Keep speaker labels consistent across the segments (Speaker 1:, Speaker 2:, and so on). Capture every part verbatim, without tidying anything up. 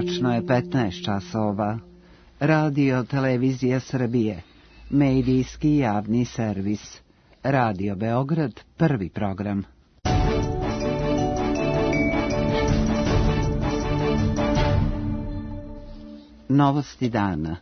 Speaker 1: Tačno je petnaest časova. Radio Televizija Srbije, medijski javni servis. Radio Beograd, prvi program. Novosti dana.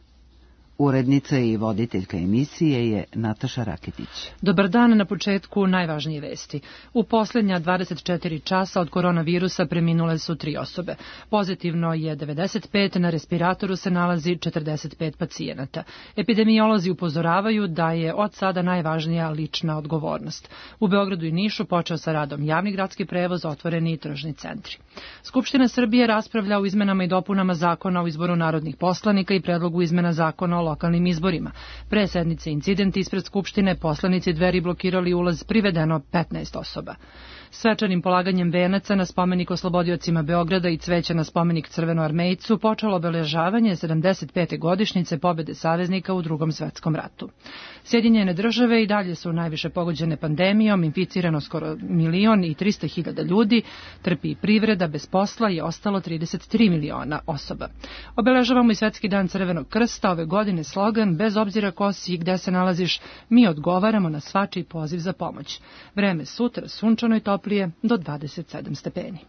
Speaker 1: Urednica i voditeljka emisije je Nataša Raketić.
Speaker 2: Dobar dan, na početku najvažnije vesti. U posljednja dvadeset četiri časa od koronavirusa preminule su tri osobe. Pozitivno je devedeset pet, na respiratoru se nalazi četrdeset pet pacijenata. Epidemiolozi upozoravaju da je od sada najvažnija lična odgovornost. U Beogradu i Nišu počeo sa radom javni gradski prevoz, otvoreni i tržni centri. Skupština Srbije raspravlja o izmenama i dopunama zakona o izboru narodnih poslanika i predlogu izmena zakona o lokalnim izborima. Pre sednice incident ispred Skupštine, poslanici Dveri blokirali ulaz, privedeno petnaest osoba. Svečanim polaganjem venaca na spomenik oslobodiocima Beograda i cveća na spomenik Crvenoarmejcu počelo obeležavanje sedamdeset pete godišnjice pobede saveznika u Drugom svetskom ratu. Sjedinjene države i dalje su najviše pogođene pandemijom, inficirano skoro milion i trista hiljada ljudi, trpi privreda, bez posla je ostalo trideset tri miliona osoba. Obeležavamo i Svetski dan Crvenog krsta, ove godine slogan bez obzira ko si i gde se nalaziš, mi odgovaramo na svačiji poziv za pomoć. Vreme sutra sunčano i toplije do dvadeset sedam stepeni.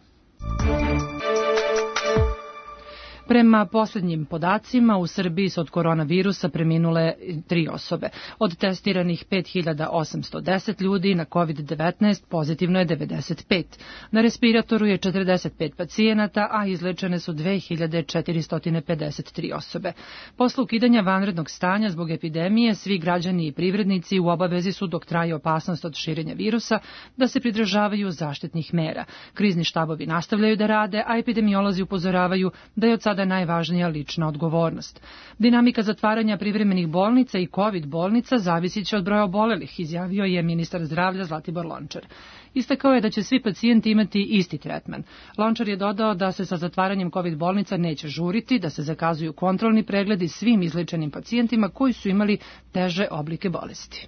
Speaker 2: Prema posljednjim podacima, u Srbiji su od koronavirusa preminule tri osobe. Od testiranih pet hiljada osamsto deset ljudi, na kovid devetnaest pozitivno je devedeset pet. Na respiratoru je četrdeset pet pacijenata, a izlečene su dve hiljade četiristo pedeset tri osobe. Posle ukidanja vanrednog stanja zbog epidemije, svi građani i privrednici u obavezi su, dok traje opasnost od širenja virusa, da se pridržavaju zaštitnih mera. Krizni štabovi nastavljaju da rade, a epidemiolozi upozoravaju da je od sada najvažnija lična odgovornost. Dinamika zatvaranja privremenih bolnica i covid bolnica zavisit će od broja obolelih, izjavio je ministar zdravlja Zlatibor Lončar. Istakao je da će svi pacijenti imati isti tretman. Lončar je dodao da se sa zatvaranjem covid bolnica neće žuriti, da se zakazuju kontrolni pregledi svim izlečenim pacijentima koji su imali teže oblike bolesti.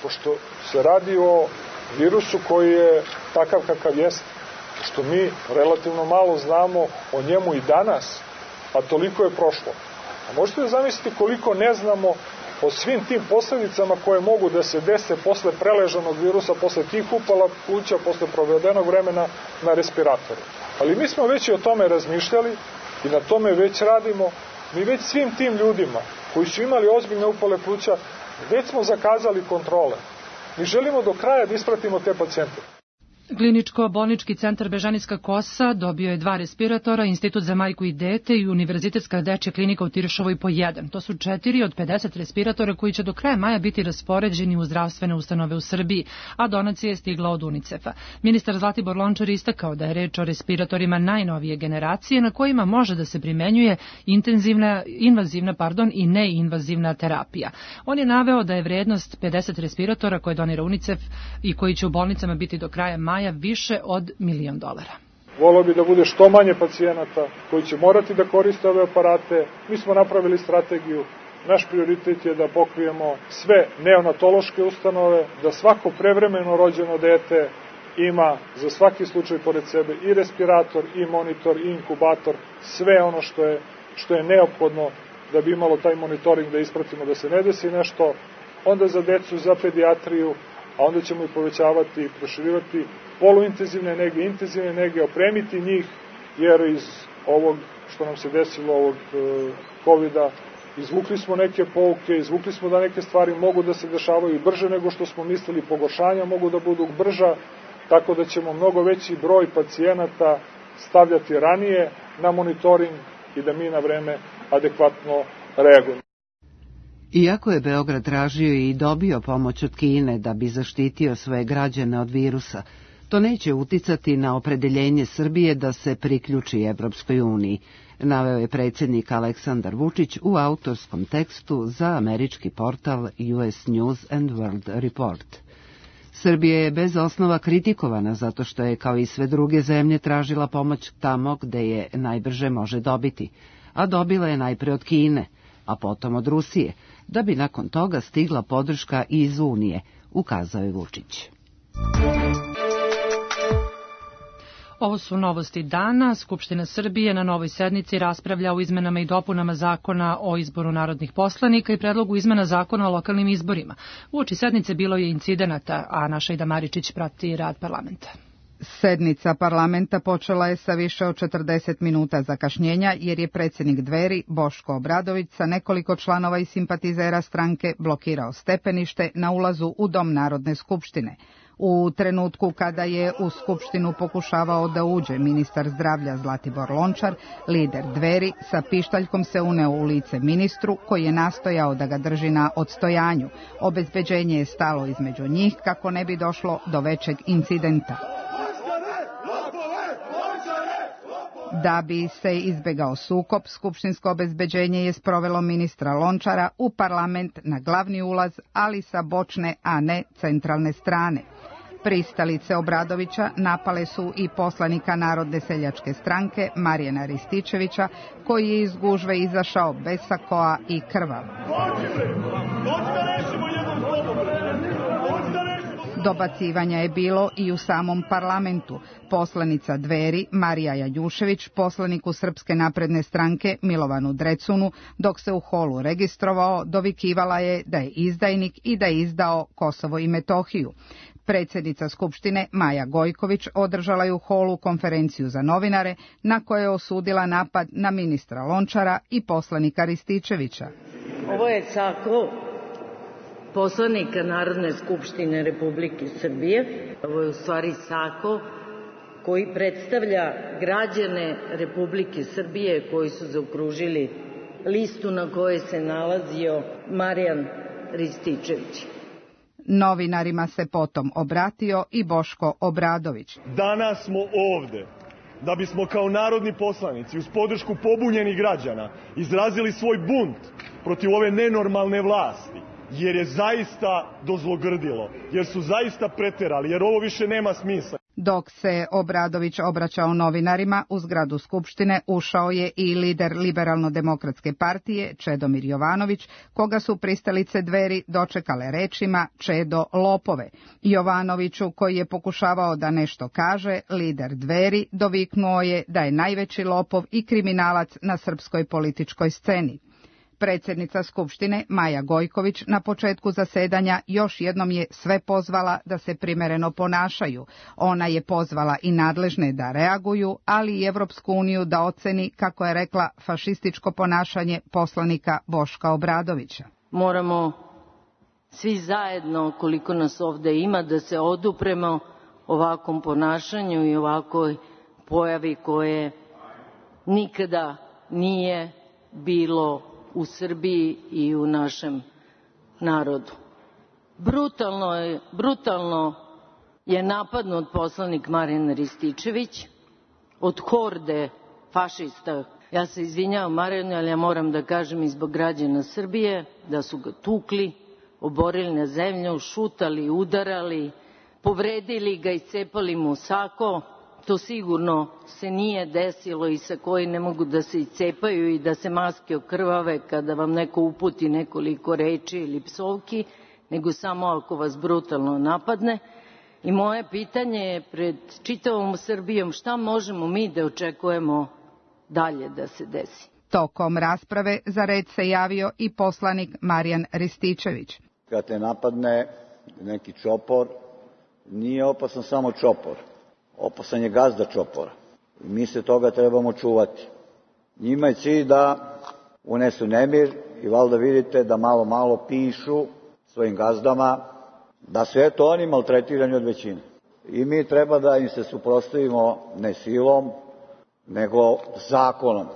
Speaker 3: Pošto se radi o virusu koji je takav kakav jeste, što mi relativno malo znamo o njemu i danas, a toliko je prošlo. A možete da zamisliti koliko ne znamo o svim tim posledicama koje mogu da se dese posle preležanog virusa, posle tih upala pluća, posle provedenog vremena na respiratoru. Ali mi smo već i o tome razmišljali i na tome već radimo. Mi već svim tim ljudima koji su imali ozbiljne upale pluća, već smo zakazali kontrole. Mi želimo do kraja da ispratimo te pacijente.
Speaker 2: Kliničko-bolnički centar Bežanijska Kosa dobio je dva respiratora, Institut za majku i dete i Univerzitetska dečja klinika u Tiršovoj po jedan. To su četiri od pedeset respiratora koji će do kraja maja biti raspoređeni u zdravstvene ustanove u Srbiji, a donacija je stigla od UNICEF-a. Ministar Zlatibor Lončar istakao da je reč o respiratorima najnovije generacije na kojima može da se primenjuje intenzivna, invazivna pardon, i neinvazivna terapija. On je naveo da je vrednost pedeset respiratora koje donira UNICEF i koji će u bolnicama biti do kraja maja više od milion dolara.
Speaker 3: Voleo bi da bude što manje pacijenata koji će morati da koriste ove aparate. Mi smo napravili strategiju. Naš prioritet je da pokrijemo sve neonatološke ustanove, da svako prevremeno rođeno dete ima za svaki slučaj pored sebe i respirator, i monitor, i inkubator, sve ono što je, što je neophodno da bi imalo taj monitoring da ispratimo da se ne desi nešto. Onda za decu, za pedijatriju, a onda ćemo i povećavati i proširivati poluintenzivne nege, intenzivne nege, opremiti njih, jer iz ovog što nam se desilo, ovog covida, izvukli smo neke pouke, izvukli smo da neke stvari mogu da se dešavaju brže nego što smo mislili, pogoršanja mogu da budu brža, tako da ćemo mnogo veći broj pacijenata stavljati ranije na monitoring i da mi na vreme adekvatno reagujemo.
Speaker 1: Iako je Beograd tražio i dobio pomoć od Kine da bi zaštitio svoje građane od virusa, to neće uticati na opredeljenje Srbije da se priključi Evropskoj uniji, naveo je predsjednik Aleksandar Vučić u autorskom tekstu za američki portal U S News and World Report. Srbija je bez osnova kritikovana zato što je, kao i sve druge zemlje, tražila pomoć tamo gde je najbrže može dobiti, a dobila je najpre od Kine, a potom od Rusije, da bi nakon toga stigla podrška i iz Unije, ukazao je Vučić.
Speaker 2: Ovo su novosti dana. Skupština Srbije na novoj sednici raspravlja o izmenama i dopunama zakona o izboru narodnih poslanika i predlogu izmena zakona o lokalnim izborima. Uoči sednice bilo je incidenata, a naša Ida Maričić prati rad parlamenta.
Speaker 4: Sednica parlamenta počela je sa više od četrdeset minuta zakašnjenja jer je predsjednik Dveri Boško Obradović sa nekoliko članova i simpatizera stranke blokirao stepenište na ulazu u Dom Narodne skupštine. U trenutku kada je u skupštinu pokušavao da uđe ministar zdravlja Zlatibor Lončar, lider Dveri sa pištaljkom se uneo u lice ministru koji je nastojao da ga drži na odstojanju. Obezbeđenje je stalo između njih kako ne bi došlo do većeg incidenta. Da bi se izbegao sukob, skupštinsko obezbeđenje je sprovelo ministra Lončara u parlament na glavni ulaz, ali sa bočne, a ne centralne strane. Pristalice Obradovića napale su i poslanika Narodne seljačke stranke Marijana Rističevića, koji je iz gužve izašao bez sakoa i krvav. Dobacivanja je bilo i u samom parlamentu. Poslanica Dveri Marija Janjušević poslaniku Srpske napredne stranke Milovanu Drecunu, dok se u holu registrovao, dovikivala je da je izdajnik i da je izdao Kosovo i Metohiju. Predsjednica Skupštine Maja Gojković održala je u holu konferenciju za novinare na kojoj je osudila napad na ministra Lončara i poslanika Rističevića.
Speaker 5: Ovo je sako poslanika Narodne skupštine Republike Srbije. Ovo je u stvari sako koji predstavlja građane Republike Srbije koji su zaokružili listu na kojoj se nalazio Marijan Rističević.
Speaker 4: Novinarima se potom obratio i Boško Obradović.
Speaker 6: Danas smo ovde da bismo kao narodni poslanici uz podršku pobunjenih građana izrazili svoj bunt protiv ove nenormalne vlasti, jer je zaista dozlogrdilo, jer su zaista preterali, jer ovo više nema smisla.
Speaker 4: Dok se Obradović obraćao novinarima, u zgradu Skupštine ušao je i lider Liberalno-demokratske partije Čedomir Jovanović, koga su pristalice Dveri dočekale rečima Čedo lopove. Jovanoviću, koji je pokušavao da nešto kaže, lider Dveri doviknuo je da je najveći lopov i kriminalac na srpskoj političkoj sceni. Predsjednica Skupštine Maja Gojković na početku zasedanja još jednom je sve pozvala da se primereno ponašaju. Ona je pozvala i nadležne da reaguju, ali i Evropsku uniju da oceni, kako je rekla, fašističko ponašanje poslanika Boška Obradovića.
Speaker 5: Moramo svi zajedno, koliko nas ovde ima, da se odupremo ovakvom ponašanju i ovakoj pojavi koje nikada nije bilo u Srbiji i u našem narodu. Brutalno je, brutalno je napadnut poslanik Marijan Rističević od horde fašista. Ja se izvinjavam Marijanu, ali ja moram da kažem i zbog građana Srbije da su ga tukli, oborili na zemlju, šutali, udarali, povredili ga, iscepali mu sako. To sigurno se nije desilo i sa koji ne mogu da se iscepaju i da se maske okrvave kada vam neko uputi nekoliko reči ili psovki, nego samo ako vas brutalno napadne. I moje pitanje je pred čitavom Srbijom, šta možemo mi da očekujemo dalje da se desi?
Speaker 4: Tokom rasprave za red se javio i poslanik Marijan Rističević.
Speaker 7: Kad te napadne neki čopor, nije opasan samo čopor. Opasan je gazda čopora. I mi se toga trebamo čuvati. Njima je cilj da unesu nemir i valjda vidite da malo malo pišu svojim gazdama da su eto oni maltretirani od većine. I mi treba da im se suprotstavimo ne silom, nego zakonom.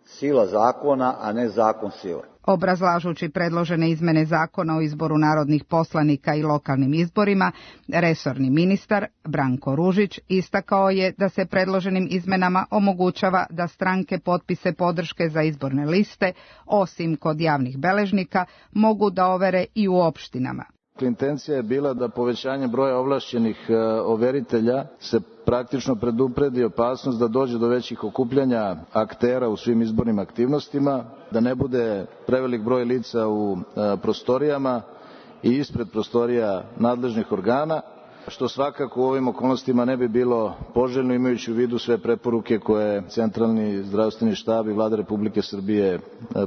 Speaker 7: Sila zakona, a ne zakon sile.
Speaker 4: Obrazlažući predložene izmene zakona o izboru narodnih poslanika i lokalnim izborima, resorni ministar Branko Ružić istakao je da se predloženim izmenama omogućava da stranke potpise podrške za izborne liste, osim kod javnih beležnika, mogu da overe i u opštinama.
Speaker 8: Intencija je bila da povećanje broja ovlašćenih overitelja se praktično predupredi opasnost da dođe do većih okupljanja aktera u svim izbornim aktivnostima, da ne bude prevelik broj lica u prostorijama i ispred prostorija nadležnih organa što svakako u ovim okolnostima ne bi bilo poželjno, imajući u vidu sve preporuke koje Centralni zdravstveni štab i Vlada Republike Srbije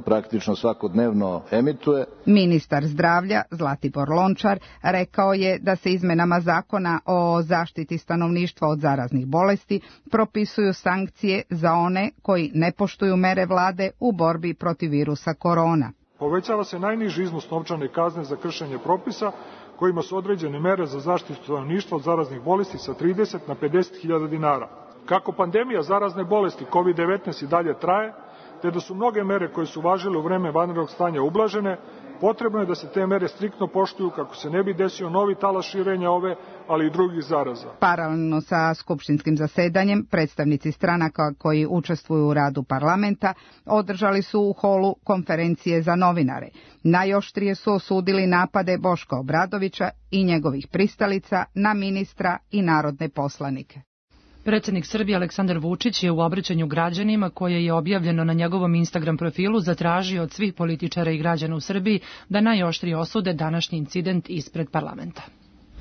Speaker 8: praktično svakodnevno emituje.
Speaker 4: Ministar zdravlja Zlatibor Lončar rekao je da se izmenama zakona o zaštiti stanovništva od zaraznih bolesti propisuju sankcije za one koji ne poštuju mere vlade u borbi protiv virusa korona.
Speaker 3: Povećava se najniži iznos novčane kazne za kršenje propisa kojima su određene mere za zaštitu stanovništva od zaraznih bolesti sa trideset na pedeset hiljada dinara. Kako pandemija zarazne bolesti kovid devetnaest i dalje traje, te da su mnoge mere koje su važile u vreme vanrednog stanja ublažene, potrebno je da se te mere striktno poštuju kako se ne bi desio novi talas širenja ove, ali i drugih zaraza.
Speaker 4: Paralelno sa skupštinskim zasedanjem, predstavnici stranaka koji učestvuju u radu parlamenta održali su u holu konferencije za novinare. Najoštrije su osudili napade Boška Obradovića i njegovih pristalica na ministra i narodne poslanike.
Speaker 2: Predsjednik Srbije Aleksandar Vučić je u obraćanju građanima, koje je objavljeno na njegovom Instagram profilu, zatražio od svih političara i građana u Srbiji da najoštrije osude današnji incident ispred parlamenta.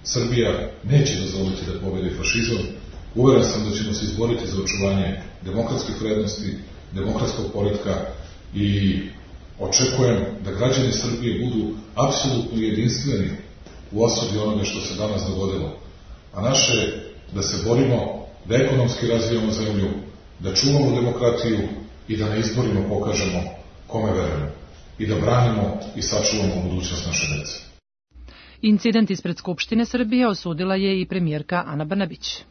Speaker 9: Srbija neće dozvoliti da pobedi fašizam. Uveren sam da ćemo se izboriti za očuvanje demokratskih vrednosti, demokratskog poretka i očekujem da građani Srbije budu apsolutno jedinstveni u osudi onoga što se danas dogodilo. A naše je da se borimo, da ekonomski razvijamo zemlju, da čuvamo demokratiju i da na izborima pokažemo kome verujemo i da branimo i sačuvamo budućnost naše dece.
Speaker 2: Incident ispred Skupštine Srbije osudila je i premijerka Ana Brnabić.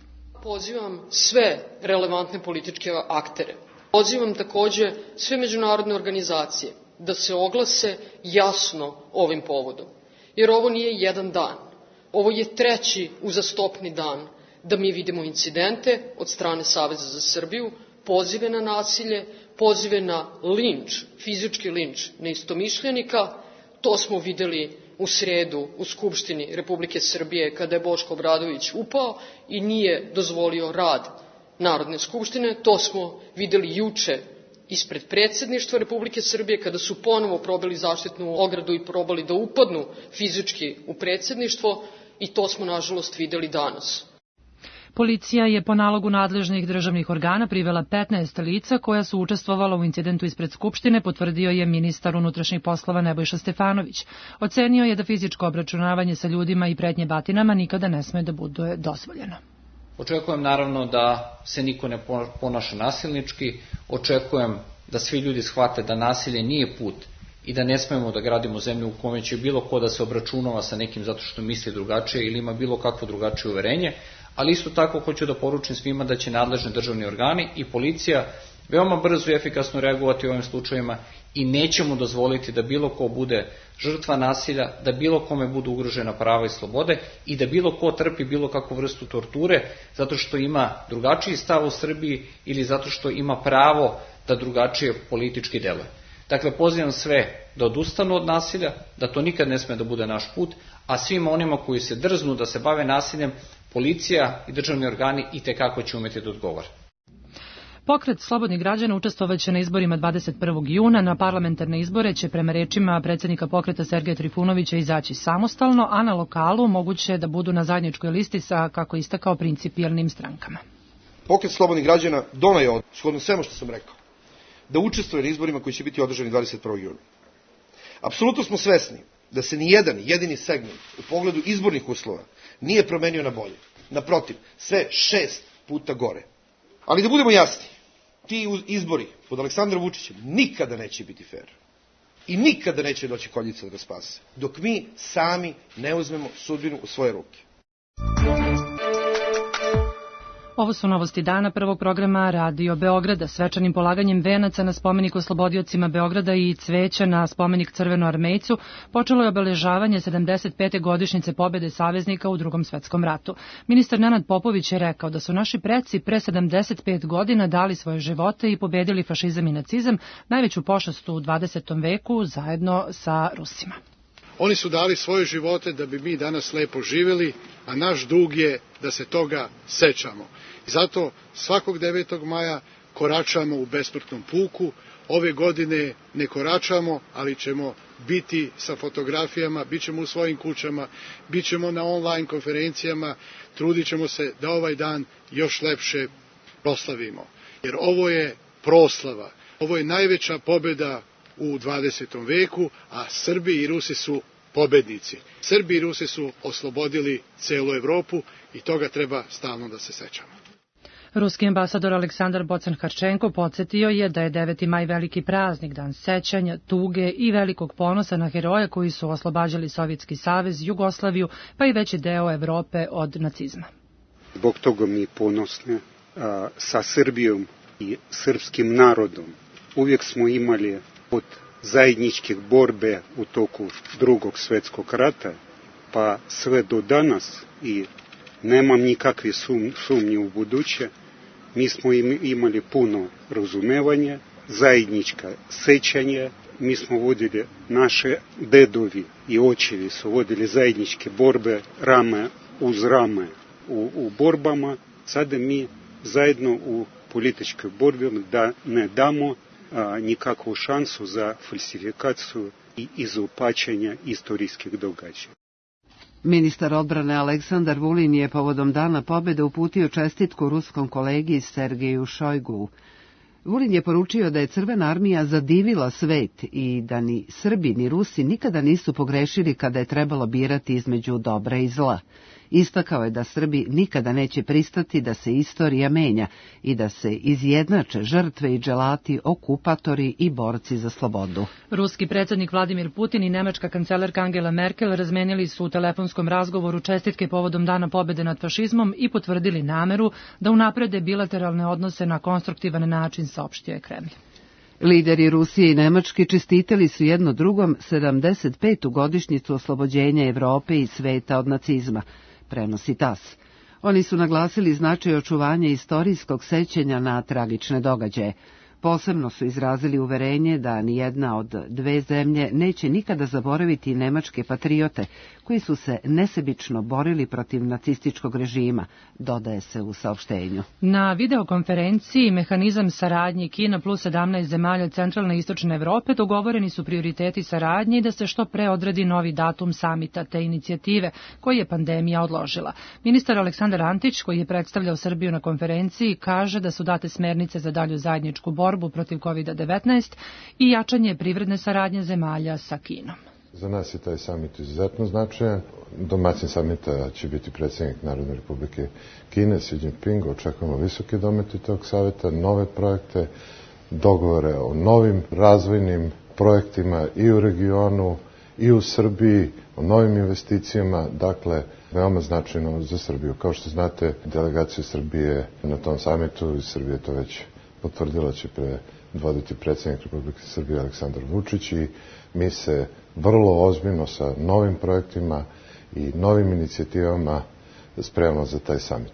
Speaker 10: Pozivam sve relevantne političke aktere. Pozivam takođe sve međunarodne organizacije da se oglase jasno ovim povodom. Jer ovo nije jedan dan. Ovo je treći uzastopni dan da mi vidimo incidente od strane Saveza za Srbiju, pozive na nasilje, pozive na linč, fizički linč neistomišljenika. To smo videli u sredu u Skupštini Republike Srbije kada je Boško Obradović upao i nije dozvolio rad Narodne skupštine. To smo videli juče ispred predsjedništva Republike Srbije kada su ponovo probali zaštitnu ogradu i probali da upadnu fizički u predsjedništvo i to smo nažalost videli danas.
Speaker 2: Policija je po nalogu nadležnih državnih organa privela petnaest lica koja su učestvovala u incidentu ispred Skupštine, potvrdio je ministar unutrašnjih poslova Nebojša Stefanović. Ocenio je da fizičko obračunavanje sa ljudima i pretnje batinama nikada ne sme da bude dozvoljeno.
Speaker 11: Očekujem naravno da se niko ne ponaša nasilnički, očekujem da svi ljudi shvate da nasilje nije put i da ne smemo da gradimo zemlju u kome će bilo ko da se obračunava sa nekim zato što misli drugačije ili ima bilo kakvo drugačije uverenje, ali isto tako hoću da poručim svima da će nadležni državni organi i policija veoma brzo i efikasno reagovati u ovim slučajevima i nećemo dozvoliti da bilo ko bude žrtva nasilja, da bilo kome budu ugrožena prava i slobode i da bilo ko trpi bilo kakvu vrstu torture zato što ima drugačiji stav u Srbiji ili zato što ima pravo da drugačije politički deluje. Dakle, pozivam sve da odustanu od nasilja, da to nikad ne sme da bude naš put, a svima onima koji se drznu da se bave nasiljem, policija i državni organi itekako će umeti da odgovore.
Speaker 2: Pokret slobodnih građana učestvovaće na izborima dvadeset prvog juna. Na parlamentarne izbore će prema rečima predsjednika pokreta Sergeja Trifunovića izaći samostalno, a na lokalu moguće da budu na zajedničkoj listi sa, kako istakao, principijelnim strankama.
Speaker 12: Pokret slobodnih građana doneo je, shodno svemu što sam rekao, da učestvuje na izborima koji će biti održani dvadeset prvog juna. Apsolutno smo svesni da se ni jedan jedini segment u pogledu izbornih uslova nije promenio na bolje. Naprotiv, sve šest puta gore. Ali da budemo jasni, ti izbori pod Aleksandrom Vučićem nikada neće biti fair. I nikada neće doći koljica da ga spase. Dok mi sami ne uzmemo sudbinu u svoje ruke.
Speaker 2: Ovo su novosti dana prvog programa Radio Beograda. Svečanim polaganjem venaca na spomenik oslobodiocima Beograda i cveća na spomenik Crvenoarmejcu počelo je obeležavanje sedamdeset pete godišnjice pobjede saveznika u Drugom svetskom ratu. Ministar Nenad Popović je rekao da su naši preci pre sedamdeset pet godina dali svoje živote i pobedili fašizam i nacizam, najveću pošast u dvadesetom veku zajedno sa Rusima.
Speaker 13: Oni su dali svoje živote da bi mi danas lepo živjeli, a naš dug je da se toga sećamo. Zato svakog devetog maja koračamo u besmrtnom puku. Ove godine ne koračamo, ali ćemo biti sa fotografijama, bit ćemo u svojim kućama, bit ćemo na online konferencijama, trudit ćemo se da ovaj dan još lepše proslavimo. Jer ovo je proslava, ovo je najveća pobjeda u dvadesetom veku, a Srbi i Rusi su pobednici. Srbi i Rusi su oslobodili celu Evropu i toga treba stalno da se sećamo.
Speaker 2: Ruski ambasador Aleksandar Bocan-Harčenko podsjetio je da je deveti maj veliki praznik, dan sećanja, tuge i velikog ponosa na heroje koji su oslobađali Sovjetski savez, Jugoslaviju, pa i veći deo Evrope od nacizma.
Speaker 14: Zbog toga mi ponosni a, sa Srbijom i srpskim narodom. Uvijek smo imali od zajedničkih borbe u toku drugog svjetskog rata, pa sve do danas i nemam nikakve sum, sumnje u buduće. Mi smo imali puno razumevanja, zajednička sećanje, mi smo vodili, naše dedovi i očevi su vodili zajedničke borbe rame uz rame u, u borbama. Sada mi zajedno u političkoj borbi da ne damo a, nikakvu šansu za falsifikaciju i izopačenje istorijskih događaja.
Speaker 1: Ministar odbrane Aleksandar Vulin je povodom Dana pobjede uputio čestitku ruskom kolegi Sergeju Šojgu. Vulin je poručio da je Crvena armija zadivila svet i da ni Srbi ni Rusi nikada nisu pogrešili kada je trebalo birati između dobra i zla. Istakao je da Srbi nikada neće pristati da se istorija menja i da se izjednače žrtve i dželati, okupatori i borci za slobodu.
Speaker 2: Ruski predsjednik Vladimir Putin i nemačka kancelarka Angela Merkel razmenili su u telefonskom razgovoru čestitke povodom Dana pobjede nad fašizmom i potvrdili nameru da unaprede bilateralne odnose na konstruktivan način, saopštio je Kremlj.
Speaker 1: Lideri Rusije i Nemačke čestitali su jedno drugom sedamdeset petu godišnjicu oslobođenja Evrope i sveta od nacizma, prenosi tas. Oni su naglasili značaj očuvanja istorijskog sećanja na tragične događaje. Posebno su izrazili uverenje da nijedna od dve zemlje neće nikada zaboraviti nemačke patriote koji su se nesebično borili protiv nacističkog režima, dodaje se u saopštenju.
Speaker 2: Na videokonferenciji Mehanizam saradnje Kina plus sedamnaest zemalja centralne i istočne Evrope dogovoreni su prioriteti saradnje i da se što pre odredi novi datum samita te inicijative koji je pandemija odložila. Ministar Aleksandar Antić, koji je predstavljao Srbiju na konferenciji, kaže da su date smernice za dalju zajedničku borbu protiv kovid devetnaest i jačanje privredne saradnje zemalja sa Kinom.
Speaker 15: Za nas je taj samit izuzetno značajan. Domaćin samita će biti predsjednik Narodne republike Kine, Xi Jinping. Očekujemo visoke domete tog saveta, nove projekte, dogovore o novim razvojnim projektima i u regionu i u Srbiji, o novim investicijama, dakle, veoma značajno za Srbiju. Kao što znate, delegacija Srbije na tom samitu, iz Srbije to već potvrdila, će predvoditi predsjednik Republike Srbije Aleksandar Vučić i mi se vrlo ozbiljno sa novim projektima i novim inicijativama spremamo za taj samit.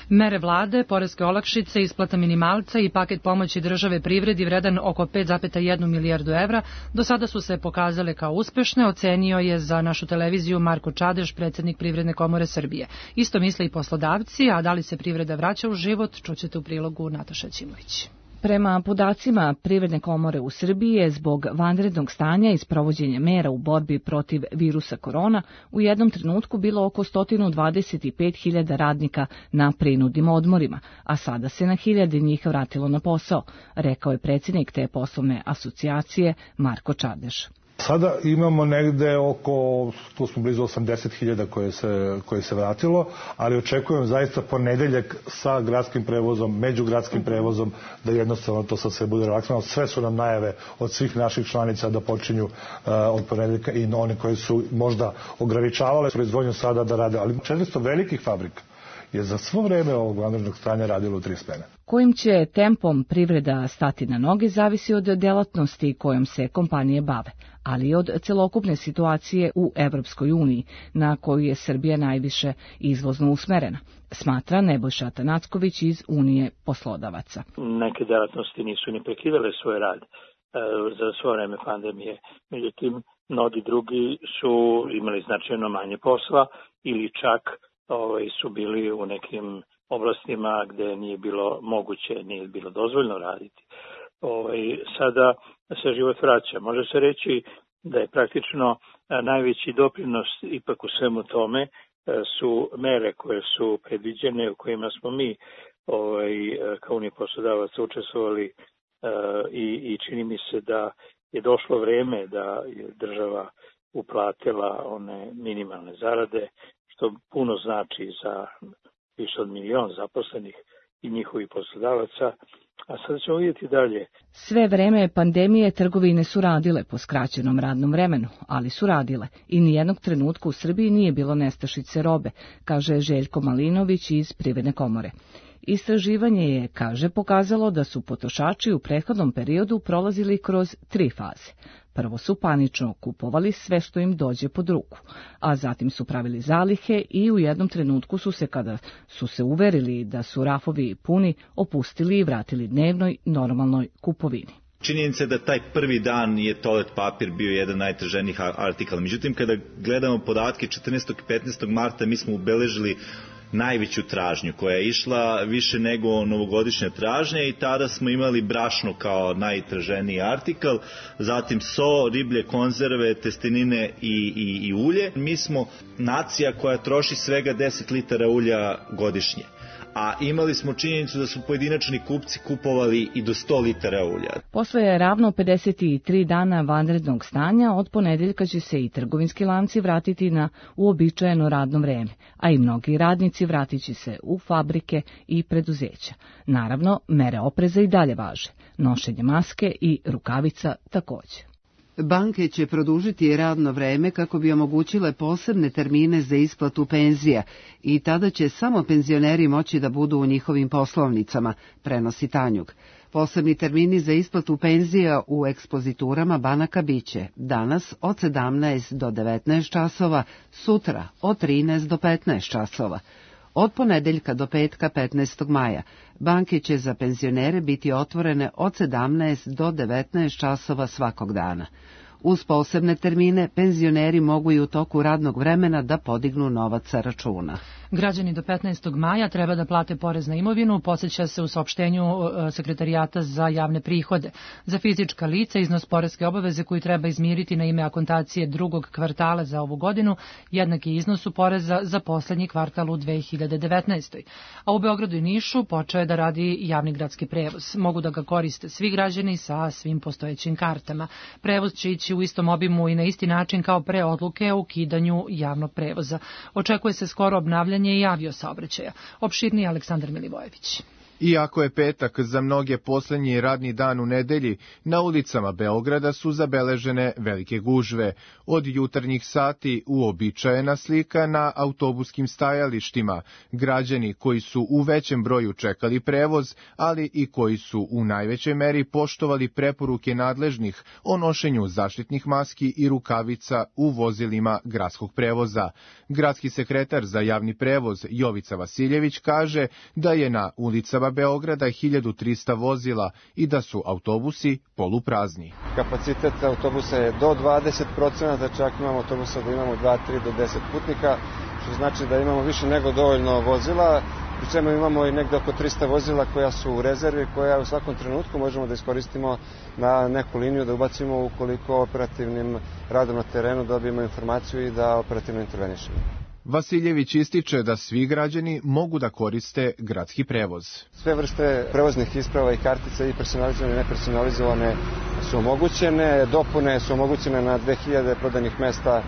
Speaker 2: Mere vlade, poreske olakšice, isplata minimalca i paket pomoći države privredi vredan oko pet zarez jedna milijardu evra do sada su se pokazale kao uspešne, ocenio je za našu televiziju Marko Čadež, predsjednik Privredne komore Srbije. Isto misle i poslodavci, a da li se privreda vraća u život, čućete u prilogu Nataša Ćimović.
Speaker 16: Prema podacima Privredne komore u Srbiji je zbog vanrednog stanja i sprovođenja mera u borbi protiv virusa korona u jednom trenutku bilo oko sto dvadeset pet hiljada radnika na prinudnim odmorima, a sada se na hiljade njih vratilo na posao, rekao je predsjednik te poslovne asocijacije Marko Čadež.
Speaker 17: Sada imamo negde oko, tu smo blizu osamdeset hiljada koje se, koje se vratilo, ali očekujem zaista ponedeljak sa gradskim prevozom, međugradskim prevozom, da jednostavno to sad sve bude relaksano. Sve su nam najave od svih naših članica da počinju uh, od ponedeljka i one koje su možda ograničavale proizvodnju sada da rade, ali četiristo velikih fabrika je za svo vreme ovog vanrednog stanja radilo u tri smene.
Speaker 16: Kojim će tempom privreda stati na noge zavisi od delatnosti kojom se kompanije bave, ali i od celokupne situacije u Evropskoj uniji, na koju je Srbija najviše izvozno usmerena, smatra Nebojša Atanacković iz Unije poslodavaca.
Speaker 18: Neke delatnosti nisu ni prekidale svoj rad e, za svo vreme pandemije, međutim, mnogi drugi su imali značajno manje posla ili čak ovaj, su bili u nekim oblastima gde nije bilo moguće, nije bilo dozvoljno raditi. Ovaj, sada se život vraća. Može se reći da je praktično najveći doprinos ipak u svemu tome su mere koje su predviđene, u kojima smo mi ovaj, kao Unija poslodavaca učestvovali i, i čini mi se da je došlo vreme da je država uplatila one minimalne zarade, što puno znači za više od milion zaposlenih i njihovih poslodavaca. A sad ćemo vidjeti dalje.
Speaker 16: Sve vreme pandemije trgovine su radile po skraćenom radnom vremenu, ali su radile i nijednog trenutka u Srbiji nije bilo nestašice robe, kaže Željko Malinović iz Privredne komore. Istraživanje je, kaže, pokazalo da su potrošači u prethodnom periodu prolazili kroz tri faze. Prvo su panično kupovali sve što im dođe pod ruku, a zatim su pravili zalihe i u jednom trenutku su se, kada su se uverili da su rafovi puni, opustili i vratili dnevnoj normalnoj kupovini.
Speaker 19: Činjenica je da taj prvi dan je toalet papir bio jedan najtraženijih artikala. Međutim, kada gledamo podatke četrnaestog i petnaestog marta, mi smo ubeležili najveću tražnju koja je išla više nego novogodišnja tražnja i tada smo imali brašno kao najtraženiji artikal, zatim so, riblje konzerve, testenine i, i, i ulje. Mi smo nacija koja troši svega deset litara ulja godišnje, a imali smo činjenicu da su pojedinačni kupci kupovali i do sto litara ulja.
Speaker 16: Posle je ravno pedeset tri dana vanrednog stanja, od ponedeljka će se i trgovinski lanci vratiti na uobičajeno radno vreme, a i mnogi radnici vratit će se u fabrike i preduzeća. Naravno, mere opreza i dalje važe, nošenje maske i rukavica takođe.
Speaker 1: Banke će produžiti radno vreme kako bi omogućile posebne termine za isplatu penzija i tada će samo penzioneri moći da budu u njihovim poslovnicama, prenosi Tanjug. Posebni termini za isplatu penzija u ekspoziturama banaka biće danas od sedamnaest do devetnaest časova, sutra od trinaest do petnaest časova. Od ponedeljka do petka petnaestog maja banke će za penzionere biti otvorene od sedamnaest do devetnaest časova svakog dana. Uz posebne termine, penzioneri mogu i u toku radnog vremena da podignu novac sa računa.
Speaker 2: Građani do petnaestog maja treba da plate porez na imovinu, podseća se u saopštenju Sekretarijata za javne prihode. Za fizička lica iznos poreske obaveze koji treba izmiriti na ime akontacije drugog kvartala za ovu godinu jednaki iznosu poreza za poslednji kvartal u dve hiljade devetnaestoj. A u Beogradu i Nišu počeo je da radi javni gradski prevoz. Mogu da ga koriste svi građani sa svim postojećim kartama. Prevoz će ići u istom obimu i na isti način kao pre odluke o ukidanju javnog prevoza. Očekuje se skoro obnavljanje i aviosaobraćaja. Opširniji Aleksandar Milivojević.
Speaker 20: Iako je petak za mnoge poslednji radni dan u nedelji, na ulicama Beograda su zabeležene velike gužve. Od jutarnjih sati uobičajena slika na autobuskim stajalištima. Građani koji su u većem broju čekali prevoz, ali i koji su u najvećoj meri poštovali preporuke nadležnih o nošenju zaštitnih maski i rukavica u vozilima gradskog prevoza. Gradski sekretar za javni prevoz Jovica Vasiljević kaže da je na ulicama Beograda hiljadu trista vozila i da su autobusi poluprazni.
Speaker 21: Kapacitet autobusa je do dvadeset procenata, čak imamo autobusa da imamo dva, tri do deset putnika, što znači da imamo više nego dovoljno vozila, pri čemu imamo i negde oko trista vozila koja su u rezervi, koja u svakom trenutku možemo da iskoristimo na neku liniju, da ubacimo ukoliko operativnim radom na terenu dobijemo informaciju i da operativno intervenišemo.
Speaker 20: Vasiljević ističe da svi građani mogu da koriste gradski prevoz.
Speaker 21: Sve vrste prevoznih isprava i kartica, i personalizovane i nepersonalizovane, su omogućene, dopune su omogućene na dve hiljade prodanih mesta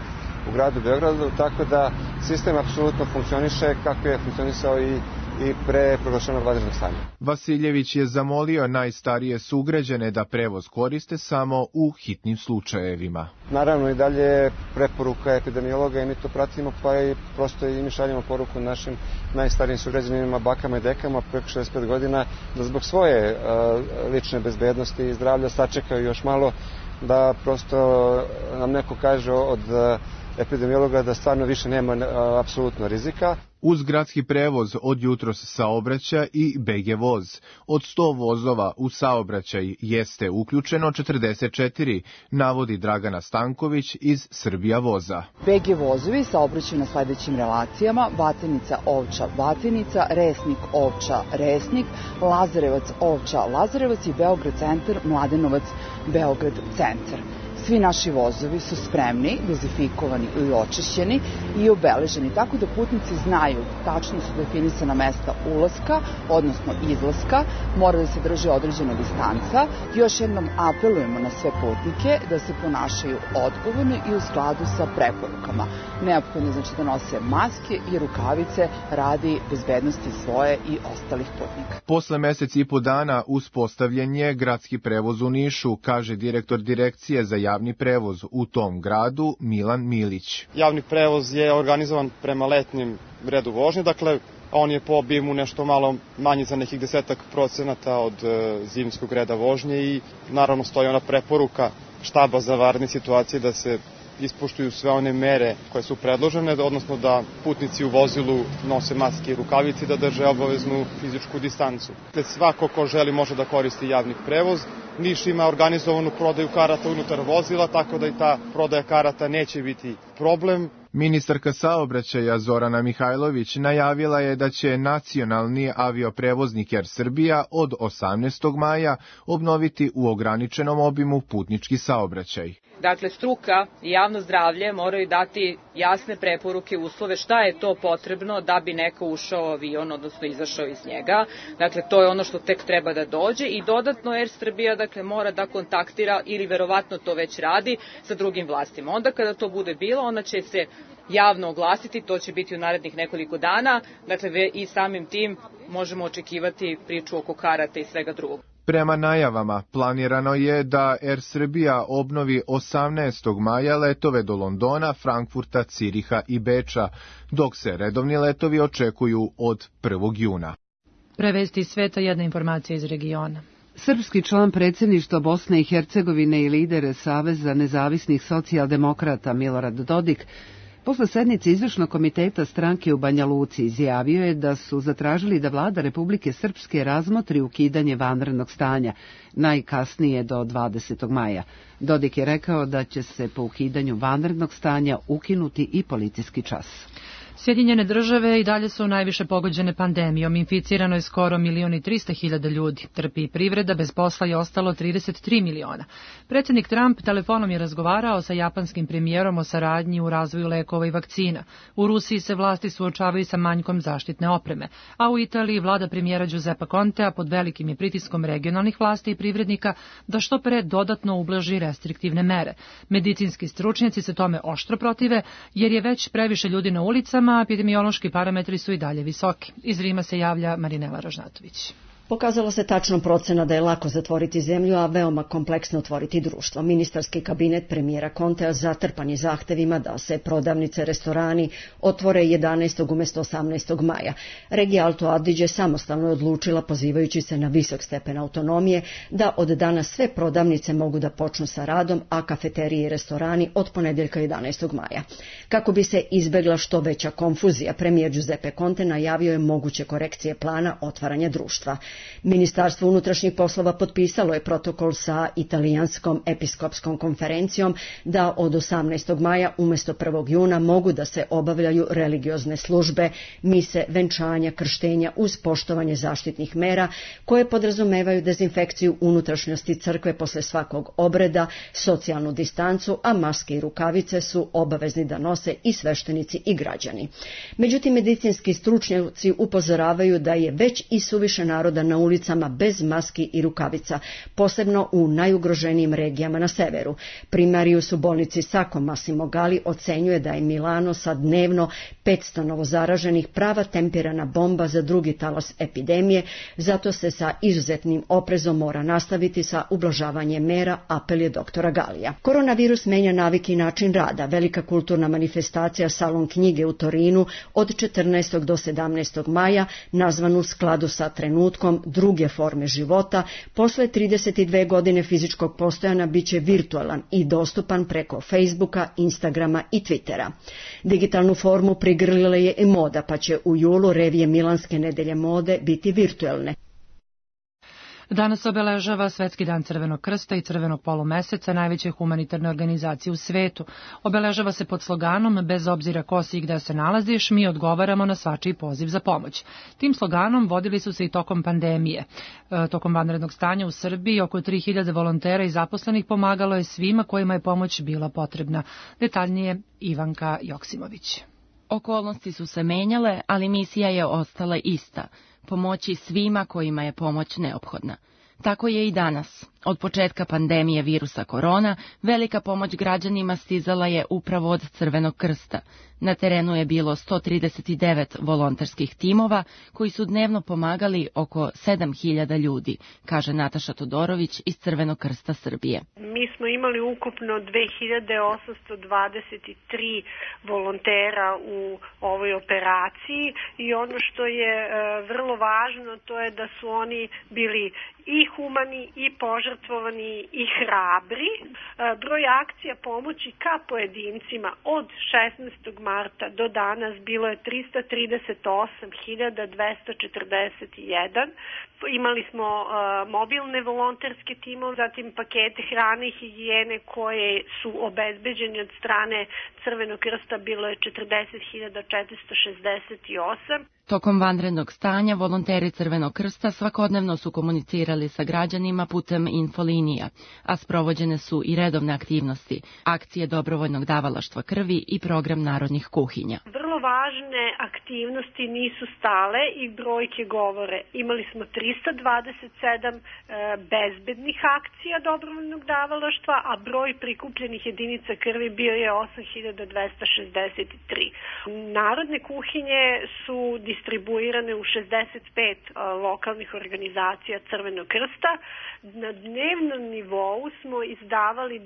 Speaker 21: u gradu Beogradu, tako da sistem apsolutno funkcioniše kako je funkcionisao i i pre proglašenog vanrednog stanja.
Speaker 20: Vasiljević je zamolio najstarije sugrađane da prevoz koriste samo u hitnim slučajevima.
Speaker 21: Naravno i dalje preporuka epidemiologa i mi to pratimo, pa i prosto i mi šaljemo poruku našim najstarijim sugrađanima, bakama i dekama preko šezdeset pet godina, da zbog svoje uh, lične bezbednosti i zdravlja sačekaju još malo, da prosto nam neko kaže od uh, epidemiologa da stvarno više nema uh, apsolutno rizika.
Speaker 20: Uz gradski prevoz od jutros saobraća i B G voz. Od sto vozova u saobraćaj jeste uključeno četrdeset četiri, navodi Dragana Stanković iz Srbija voza.
Speaker 22: B G vozovi saobraćaju na sledećim relacijama: Batenica, Ovča, Batenica, Resnik, Ovča, Resnik, Lazarevac, Ovča, Lazarevac i Beograd centar, Mladenovac, Beograd centar. Svi naši vozovi su spremni, dezinfikovani i očišćeni i obeleženi, tako da putnici znaju tačno su definisana mesta ulaska, odnosno izlaska, mora da se drži određena distanca. Još jednom apelujemo na sve putnike da se ponašaju odgovorno i u skladu sa preporukama. Neophodno je znači da nose maske i rukavice radi bezbednosti svoje i ostalih putnika.
Speaker 20: Posle mesec i po dana uspostavljen je gradski prevoz u Nišu, kaže direktor Direkcije za javni prevoz u tom gradu Milan Milić.
Speaker 5: Javni prevoz je organizovan prema letnjem redu vožnje, dakle on je po obimu nešto malo manji za nekih desetak procenata od zimskog reda vožnje i naravno stoji ona preporuka štaba za vanredne situacije da se ispoštuju sve one mere koje su predložene, odnosno da putnici u vozilu nose maske i rukavice i da drže obaveznu fizičku distancu. Svako ko želi može da koristi javni prevoz. Niš ima organizovanu prodaju karata unutar vozila, tako da i ta prodaja karata neće biti problem.
Speaker 20: Ministarka saobraćaja Zorana Mihajlović najavila je da će nacionalni avioprevoznik Er Srbija od osamnaestog maja obnoviti u ograničenom obimu putnički saobraćaj.
Speaker 6: Dakle, struka i javno zdravlje moraju dati jasne preporuke, uslove šta je to potrebno da bi neko ušao u avion, odnosno izašao iz njega. Dakle, to je ono što tek treba da dođe i dodatno Er Srbija dakle, mora da kontaktira ili verovatno to već radi sa drugim vlastima. Onda kada to bude bilo, ona će se javno oglasiti, to će biti u narednih nekoliko dana, dakle i samim tim možemo očekivati priču oko karata i svega drugog.
Speaker 20: Prema najavama, planirano je da Er Srbija obnovi osamnaestog maja letove do Londona, Frankfurta, Ciriha i Beča, dok se redovni letovi očekuju od prvog juna.
Speaker 2: Prevesti iz sveta jedna informacija iz regiona.
Speaker 1: Srpski član predsjedništva Bosne i Hercegovine i lider Saveza nezavisnih socijaldemokrata Milorad Dodik posle sednice izvršnog komiteta stranke u Banja Luci izjavio je da su zatražili da vlada Republike Srpske razmotri ukidanje vanrednog stanja, najkasnije do dvadesetog maja. Dodik je rekao da će se po ukidanju vanrednog stanja ukinuti i policijski čas.
Speaker 2: Sjedinjene države i dalje su najviše pogođene pandemijom. Inficirano je skoro milion i trista hiljada ljudi. Trpi i privreda, bez posla je ostalo trideset tri miliona. Predsjednik Trump telefonom je razgovarao sa japanskim premijerom o saradnji u razvoju lekova i vakcina. U Rusiji se vlasti suočavaju sa manjkom zaštitne opreme, a u Italiji vlada premijera Giuseppa Contea pod velikim je pritiskom regionalnih vlasti i privrednika da što pre dodatno ublaži restriktivne mere. Medicinski stručnjaci se tome oštro protive jer je već previše ljudi na ulicama, a epidemiološki parametri su i dalje visoki. Iz Rima se javlja Marinela Ražnatović.
Speaker 23: Pokazalo se tačno procena da je lako zatvoriti zemlju, a veoma kompleksno otvoriti društvo. Ministarski kabinet premijera Contea zatrpan je zahtevima da se prodavnice, restorani otvore jedanaestog umjesto osamnaestog maja. Regija Alto Adige samostalno je odlučila, pozivajući se na visok stepen autonomije, da od danas sve prodavnice mogu da počnu sa radom, a kafeterije i restorani od ponedjeljka jedanaestog maja. Kako bi se izbegla što veća konfuzija, premijer Giuseppe Conte najavio je moguće korekcije plana otvaranja društva. Ministarstvo unutrašnjih poslova potpisalo je protokol sa italijanskom episkopskom konferencijom da od osamnaestog maja umjesto prvog juna mogu da se obavljaju religiozne službe, mise, venčanja, krštenja uz poštovanje zaštitnih mera koje podrazumevaju dezinfekciju unutrašnjosti crkve posle svakog obreda, socijalnu distancu, a maske i rukavice su obavezni da nose i sveštenici i građani. Međutim, medicinski stručnjaci upozoravaju da je već i suviše naroda na ulicama bez maski i rukavica, posebno u najugroženijim regijama na severu. Primarius u bolnici Sacco Massimo Galli ocenjuje da je Milano sa dnevno petsto novozaraženih prava tempirana bomba za drugi talas epidemije, zato se sa izuzetnim oprezom mora nastaviti sa ublažavanjem mera, apel je doktora Galija. Koronavirus menja navike i način rada. Velika kulturna manifestacija Salon knjige u Torinu od četrnaestog do sedamnaestog maja, nazvan u skladu sa trenutkom druge forme života, posle trideset dve godine fizičkog postojanja biće virtualan i dostupan preko Facebooka, Instagrama i Twittera. Digitalnu formu prigrlila je i moda, pa će u julu revije Milanske nedelje mode biti virtualne.
Speaker 2: Danas obeležava Svetski dan Crvenog krsta i Crvenog polumeseca, najveće humanitarne organizacije u svetu. Obeležava se pod sloganom "Bez obzira ko si i gde se nalaziš, mi odgovaramo na svačiji poziv za pomoć". Tim sloganom vodili su se i tokom pandemije. E, tokom vanrednog stanja u Srbiji oko tri hiljade volontera i zaposlenih pomagalo je svima kojima je pomoć bila potrebna. Detaljnije Ivanka Joksimović.
Speaker 3: Okolnosti su se menjale, ali misija je ostala ista. Pomoći svima kojima je pomoć neophodna. Tako je i danas. Od početka pandemije virusa korona, velika pomoć građanima stizala je upravo od Crvenog krsta. Na terenu je bilo sto trideset devet volonterskih timova koji su dnevno pomagali oko sedam hiljada ljudi, kaže Nataša Todorović iz Crvenog krsta Srbije.
Speaker 7: Mi smo imali ukupno dve hiljade osamsto dvadeset tri volontera u ovoj operaciji i ono što je e, vrlo važno to je da su oni bili i humani i požrtvovani i hrabri. E, broj akcija pomoći ka pojedincima od šesnaestog marta do danas bilo je trista trideset osam hiljada dvesta četrdeset jedan. Imali smo uh, mobilne volonterske timove, zatim pakete hrane i higijene koje su obezbeđeni od strane Crvenog krsta, bilo je četrdeset hiljada četiristo šezdeset osam.
Speaker 3: Tokom vanrednog stanja volonteri Crvenog krsta svakodnevno su komunicirali sa građanima putem infolinija, a sprovođene su i redovne aktivnosti, akcije dobrovoljnog davalaštva krvi i program narodnih kuhinja.
Speaker 7: Vrlo važne aktivnosti nisu stale i brojke govore. Imali smo trista dvadeset sedam e, bezbednih akcija dobrovoljnog davalaštva, a broj prikupljenih jedinica krvi bio je osam hiljada dvesta šezdeset tri. Narodne kuhinje su distribuirane u šezdeset pet a, lokalnih organizacija Crvenog krsta. Na dnevnom nivou smo izdavali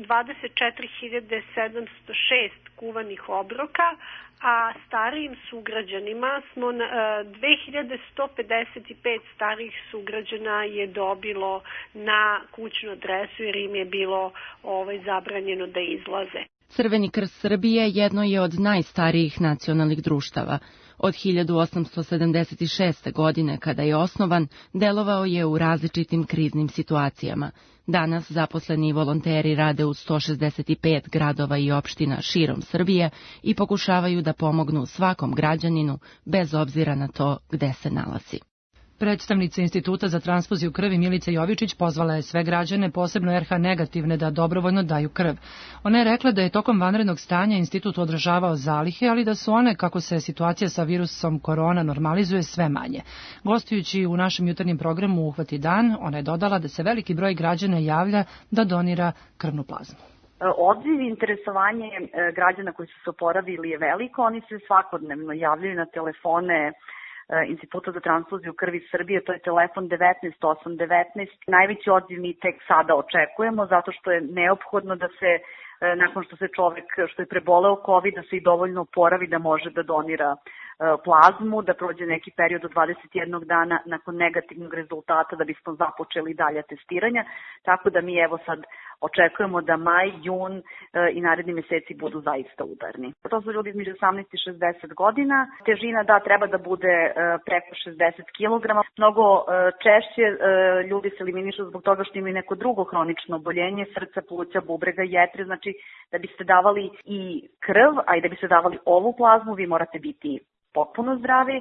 Speaker 7: dvadeset četiri hiljade sedamsto šest kuvanih obroka, a starijim sugrađanima smo dve hiljade sto pedeset pet starijih sugrađana je dobilo na kućnu adresu jer im je bilo ovaj, zabranjeno da izlaze.
Speaker 3: Crveni krst Srbije jedno je od najstarijih nacionalnih društava. Od hiljadu osamsto sedamdeset šeste. godine, kada je osnovan, delovao je u različitim kriznim situacijama. Danas zaposleni volonteri rade u sto šezdeset pet gradova i opština širom Srbije i pokušavaju da pomognu svakom građaninu, bez obzira na to gde se nalazi.
Speaker 2: Predstavnica Instituta za transfuziju krvi Milica Jovičić pozvala je sve građane, posebno er ha negativne, da dobrovoljno daju krv. Ona je rekla da je tokom vanrednog stanja institut održavao zalihe, ali da su one, kako se situacija sa virusom korona normalizuje, sve manje. Gostujući u našem jutarnjem programu Uhvati dan, ona je dodala da se veliki broj građana javlja da donira krvnu plazmu.
Speaker 8: Odziv i interesovanje građana koji su se oporavili je veliko, oni se svakodnevno javljaju na telefone Instituta za transfuziju krvi Srbije, to je telefon devetnaest osam devetnaest. Najveći odziv mi tek sada očekujemo, zato što je neophodno da se, nakon što se čovek, što je preboleo COVID, da se i dovoljno oporavi da može da donira plazmu, da prođe neki period od dvadeset jednog dana nakon negativnog rezultata da bismo započeli dalje testiranja, tako da mi evo sad očekujemo da maj, jun i naredni meseci budu zaista udarni. To su ljudi između osamnaest i šezdeset godina. Težina da treba da bude preko šezdeset kilograma. Mnogo češće ljudi se eliminišu zbog toga što imaju neko drugo hronično oboljenje, srca, pluća, bubrega, jetre. Znači da biste davali i krv, a i da biste davali ovu plazmu, vi morate biti potpuno zdravi.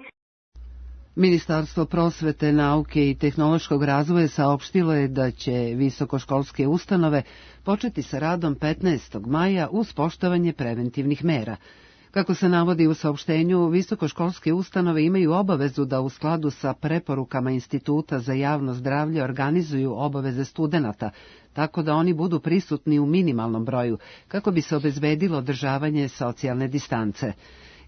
Speaker 1: Ministarstvo prosvete, nauke i tehnološkog razvoja saopštilo je da će visokoškolske ustanove početi sa radom petnaestog maja uz poštovanje preventivnih mera. Kako se navodi u saopštenju, visokoškolske ustanove imaju obavezu da u skladu sa preporukama Instituta za javno zdravlje organizuju obaveze studenata, tako da oni budu prisutni u minimalnom broju, kako bi se obezbedilo održavanje socijalne distance.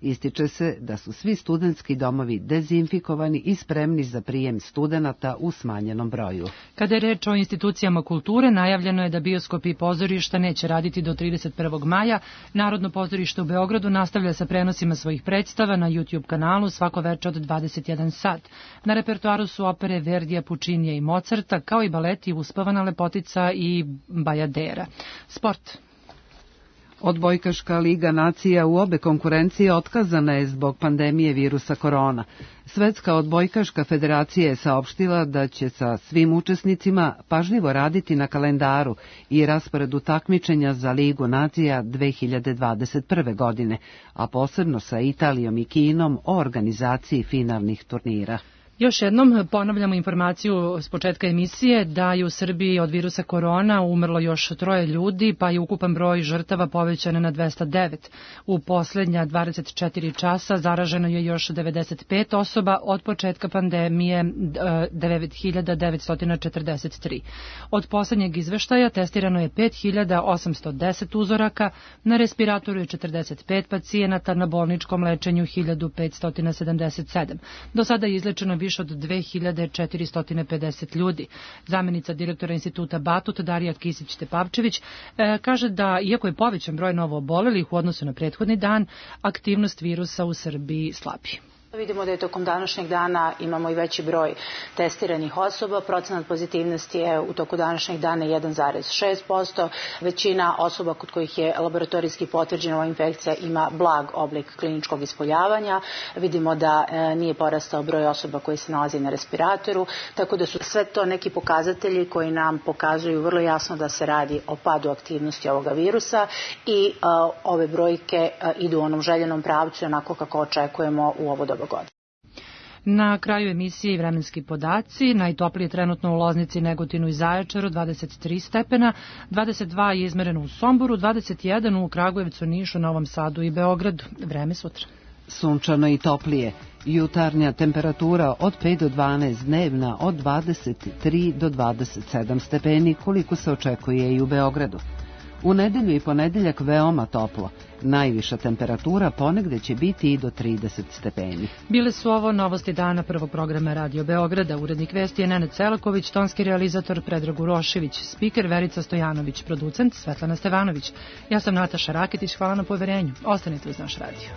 Speaker 1: Ističe se da su svi studentski domovi dezinfikovani i spremni za prijem studenata u smanjenom broju.
Speaker 2: Kada je reč o institucijama kulture, najavljeno je da bioskopi i pozorišta neće raditi do trideset prvog maja. Narodno pozorište u Beogradu nastavlja sa prenosima svojih predstava na YouTube kanalu svako veče od dvadeset jedan sat. Na repertoaru su opere Verdija, Pučinija i Mozarta, kao i baleti Uspavana lepotica i Bajadera. Sport.
Speaker 1: Odbojkaška liga nacija u obe konkurencije otkazana je zbog pandemije virusa korona. Svetska odbojkaška federacija je saopštila da će sa svim učesnicima pažljivo raditi na kalendaru i rasporedu takmičenja za Ligu nacija dve hiljade dvadeset prve. godine, a posebno sa Italijom i Kinom o organizaciji finalnih turnira.
Speaker 2: Još jednom ponavljamo informaciju s početka emisije da je u Srbiji od virusa korona umrlo još troje ljudi, pa je ukupan broj žrtava povećan na dvesta devet. U poslednja dvadeset četiri časa zaraženo je još devedeset pet osoba, od početka pandemije devet hiljada devetsto četrdeset tri. Od poslednjeg izveštaja testirano je pet hiljada osamsto deset uzoraka, na respiratoru je četrdeset pet pacijenata, na bolničkom lečenju hiljadu petsto sedamdeset sedam. Do sada je izlečeno više od dve hiljade četiristo pedeset ljudi. Zamenica direktora instituta Batut Darija Kisić-Tepavčević kaže da, iako je povećan broj novo obolelih u odnosu na prethodni dan, aktivnost virusa u Srbiji slabi.
Speaker 4: Vidimo da je tokom današnjeg dana imamo i veći broj testiranih osoba. Procenat pozitivnosti je u toku današnjeg dana jedan zarez šest posto. Većina osoba kod kojih je laboratorijski potvrđena ova infekcija ima blag oblik kliničkog ispoljavanja. Vidimo da e, nije porastao broj osoba koji se nalazi na respiratoru, tako da su sve to neki pokazatelji koji nam pokazuju vrlo jasno da se radi o padu aktivnosti ovoga virusa i e, ove brojke e, idu u onom željenom pravcu onako kako očekujemo u ovo doba godine.
Speaker 2: Na kraju emisije i vremenski podaci. Najtoplije trenutno u Loznici, Negotinu i Zaječaru dvadeset tri stepena, dvadeset dva je izmereno u Somboru, dvadeset jedan u Kragujevcu, Nišu, Novom Sadu i Beogradu. Vreme sutra.
Speaker 1: Sunčano i toplije. Jutarnja temperatura od pet do dvanaest, dnevna od dvadeset tri do dvadeset sedam stepeni, koliko se očekuje i u Beogradu. U nedelju i ponedeljak veoma toplo. Najviša temperatura ponegde će biti i do trideset stepeni.
Speaker 2: Bile su ovo novosti dana prvog programa Radio Beograda. Urednik vesti je Nenad Celaković, tonski realizator Predrag Urošević, spiker Verica Stojanović, producent Svetlana Stevanović. Ja sam Nataša Raketić, hvala na poverenju. Ostanite uz naš radio.